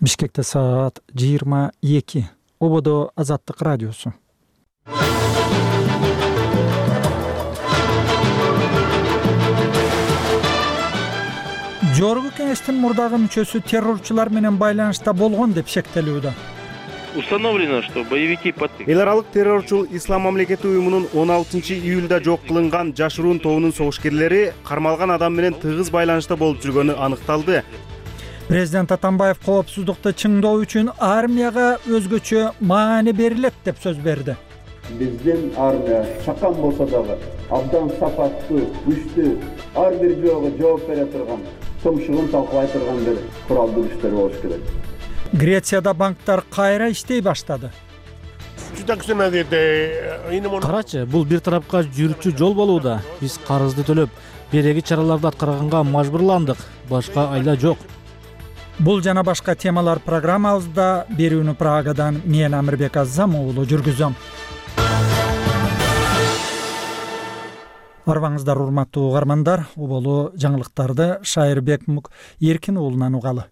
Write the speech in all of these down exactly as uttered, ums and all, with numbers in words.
Бишкекте саат жыйырма эки. Ободо Азаттык радиосу. Жогорку кеңештин мурдагы мүчөсү террорчулар менен байланышта болгон деп шектелүүдө. Установлено, что боевики под... Эл аралык террорчул Ислам мамлекети уюмунун он алтынчы июлда жок кылынган жашыруун тобунун согушкерлери кармалган адам менен тыгыз байланышта болуп жүргөнү аныкталды. Президент Атамбаев коопсуздукту чыңдоо үчүн армияга өзгөчө маани берилет деп сөз берди. Биздин армия чакан болсо дагы абдан сапаттуу, күчтүү, ар бир жоого жооп бере турган, тумшугун талкалай турган бир куралдуу күчтөр болуш керек. Грецияда банктар кайра иштей баштады. Карачы, бул бир тарапка жүрүүчү жол болууда. Биз карызды төлөп, береги чараларды аткарганга мажбурландык. Башка айла жок. Бул жана башка темалар программабызда. Берүүнү Прагадан мен Амирбек Азам уулу жүргүзөм. Арбаңыздар урматтуу угармандар, уболу жаңылыктарды Шайырбек Эркин уулунан угалы.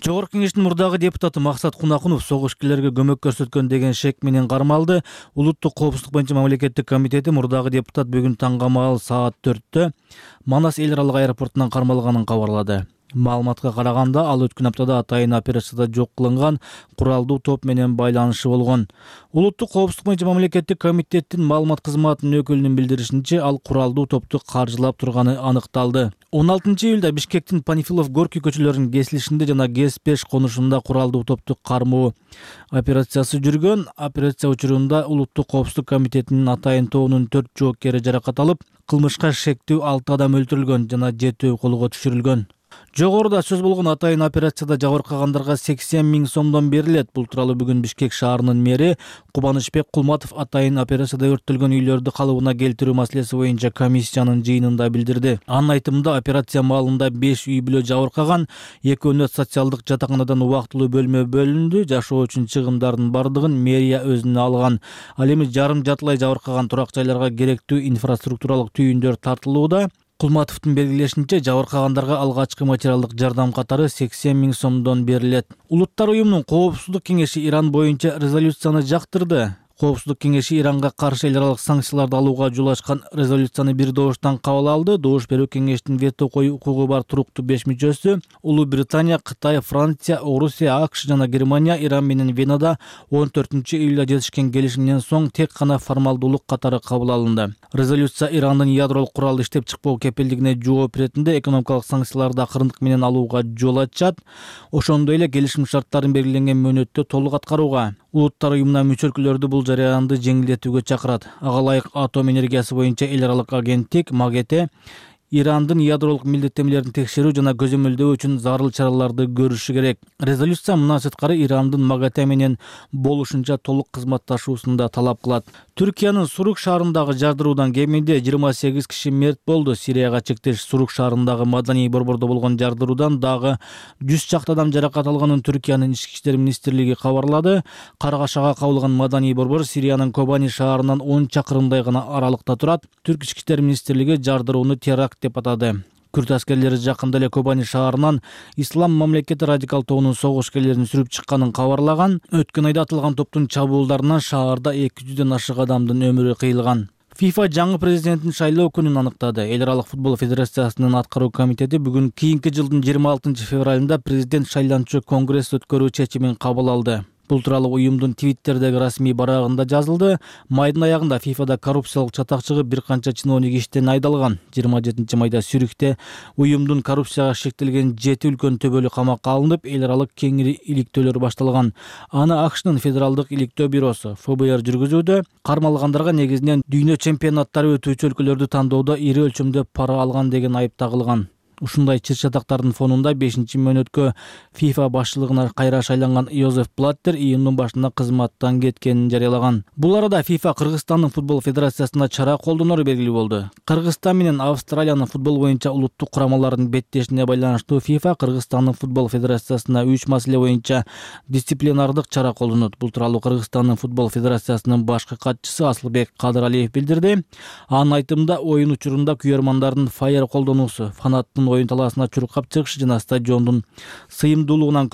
Жогорку кеңештин мурдагы депутаты Максат Кунакунов согушкерлерге көмөк көрсөткөн деген шек менен кармалды. Улуттук коопсуздук боюнча мамлекеттик комитети мурдагы депутат бүгүн таңгамал саат төрттө Манас эл аралык аэропортунан кармалганын кабарлады. Маалыматка караганда, ал өткөн аптада атайын операцияда жок кылынган куралдуу топ менен байланышы болгон. Улуттук коопсуздук боюнча мамлекеттик комитеттин маалымат кызматынын өкүлүнүн билдиришинче, ал куралдуу топту каржылап турганы аныкталды. он алтынчы июлда Бишкектин Панфилов Горький көчөлөрүнүн кесилишинде жана ГЭС беш конушунда куралдуу топту кармоо операциясы жүргөн. Операция учурунда Улуттук коопсуздук комитетинин атайын тобунун төрт жоокери жаракат алып, кылмышка шектүү алты адам өлтүрүлгөн жана жетөө колго түшүрүлгөн. Жогоруда сөз болгон атайын операцияда жабыркагандарга сексен миң сомдон берилет. Бул тууралуу бүгүн Бишкек шаарынын мэри Кубанычбек Кулматов атайын операцияда өрттөлгөн үйлөрдү калыбына келтирүү маселеси боюнча комиссиянын жыйынында билдирди. Анын айтымында, операция маалында беш үй бүлө жабыркаган, экөөнө социалдык жатаканадан убактылуу бөлмө бөлүндү. Жашоо үчүн чыгымдардын бардыгын мэрия өзүнө алган. Ал эми жарым жартылай жабыркаган турак жайларга керектүү инфраструктуралык түйүндөр тартылууда. Кулматовдун белгилешинче, жабыркагандарга алгачкы материалдык жардам катары сексен миң сомдон берилет. Улуттар уюмунун коопсуздук кеңеши Иран боюнча резолюцияны жактырды. Коопсуздук кеңеши Иранга каршы эл аралык санкцияларды алууга жол ачкан резолюцияны бир добуштан кабыл алды. Добуш берүү кеңештин вето коюу укугу бар туруктуу беш мүчөсү Улуу Британия, Кытай, Франция, Орусия, АКШ жана Германия Иран менен Венада он төртүнчү июлда жетишкен келишимден соң тек гана формалдуулук катары кабыл алынды. Резолюция Ирандын ядролук курал иштеп чыкпоо кепилдигине жооп беретинде экономикалык санкцияларды акырындык менен алууга жол ачат. Ошондой эле келишим шарттарын белгиленген мөөнөттө толук аткарууга, улуттар уюмуна мүчө өлкөлөрдү бул жарыянды жеңилдетүүгө чакырат. Ага ылайык атом энергиясы боюнча эл аралык агенттик МАГАТЭ Ирандын ядролук милдеттенмелерин текшерүү жана көзөмөлдөө үчүн зарыл чараларды көрүшү керек. Резолюция мындан сырткары Ирандын МАГАТЭ менен болушунча толук кызматташуусун да талап кылат. Түркиянын Сурук шаарындагы жардыруудан кеминде жыйырма сегиз киши мерт болду. Сирияга чектеш Сурук шаарындагы маданий борбордо болгон жардыруудан дагы жүз чакты адам жаракат алганын Түркиянын ички иштер министрлиги кабарлады. Каргашага кабылган маданий борбор Сириянын Кобани шаарынан он чакырымдай гана аралыкта турат. Түрк ички иштер министрлиги жардырууну теракт деп атады. Күрд аскерлери жакында эле Кобани шаарынан Ислам мамлекети радикал тобунун согушкерлерин сүрүп чыкканын кабарлаган. Өткөн айда атылган топтун чабуулдарынан шаарда эки жүздөн ашык адамдын өмүрү кыйылган. ФИФА жаңы президентин шайлоо күнүн аныктады. Эл аралык футбол федерациясынын аткаруу комитети бүгүн кийинки жылдын жыйырма алтынчы февралында президент шайланчу конгресс өткөрүү чечимин кабыл алды. Бул тууралуу уюмдун Твиттердеги расмий барагында жазылды. Майдын аягында ФИФАда коррупциялык чатак чыгып, бир канча чиновник иштен айдалган. жыйырма жетинчи майда Сюрихте уюмдун коррупцияга шектелген жети үлкөн төбөлү камакка алынып, эл аралык кеңири иликтөөлөр башталган. Аны АКШнын федералдык иликтөө бюросу эф бэ эр жүргүзүүдө. Кармалгандарга негизинен дүйнө чемпионаттары өтүүчү өлкөлөрдү тандоодо ири өлчөмдө пара алган деген айып тагылган. Ушундай чыр-чатактардын фонунда бешинчи мөөнөткө ФИФА башчылыгына кайра шайланган Йозеф Блаттер июндун башында кызматтан кеткенин жарыялаган. Бул арада ФИФА Кыргызстандын футбол федерациясына чара колдонору белгилүү болду. Кыргызстан менен Австралиянын футбол боюнча улуттук курамаларынын беттешине байланыштуу ФИФА Кыргызстандын футбол федерациясына үч маселе боюнча дисциплинардык чара колдонот. Бул тууралуу Кыргызстандын футбол федерациясынын башкы катчысы Асылбек Кадыралиев билдирди. Анын айтымында, оюн учурунда күйөрмандардын фаер колдонуусу, фанаттын оюн талаасына чуркап чыгышы жана стадиондун сыйымдуулугунан